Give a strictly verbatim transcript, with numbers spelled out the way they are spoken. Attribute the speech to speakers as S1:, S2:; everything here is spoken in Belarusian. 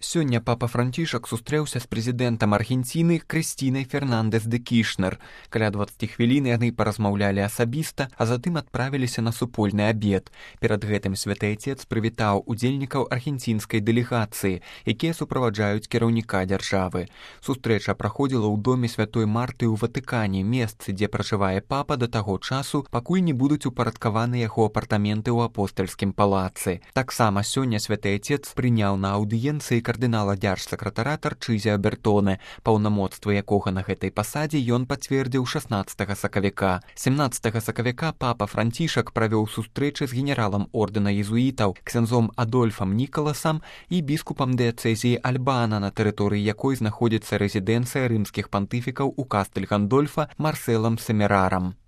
S1: Сёння папа Францішак сустрэўся з прэзідэнтам Аргенціны Крыстінай Фернандэс де Кішнер. Каля дваццаць хвілін яны паразмаўлялі асабіста, а затым адправіліся на супольны абед. Перад гэтым святы Айцец прывітаў удзельнікаў аргенцінскай дэлегацыі, якія суправаджаюць кіраўніка дзяржавы. Сустрэча праходзіла ў доме святой Марты ў Ватыкане, месцы, дзе пражывае папа да таго часу, пакуль не будуць упарадкаваны яго апартаменты ў апостальскім палацы. Таксама сёння святы Айцец прыняў на аўдыенцыі кардынала дзяржсакратара Тарчызія Бертоне, паўнамоцтвы якога на гэтай пасадзе ён пацвердзіў шаснаццатага сакавіка. сямнаццатага сакавіка папа Францішак правёў сустрэчы з генералам ордэна езуітаў, ксяндзом Адольфам Нікаласам і біскупам дыяцэзіі Альбана, на тэрыторыі якой знаходзіцца рэзідэнцыя рымскіх пантыфікаў у Кастэль-Гандольфа Марсэлам Семерарам.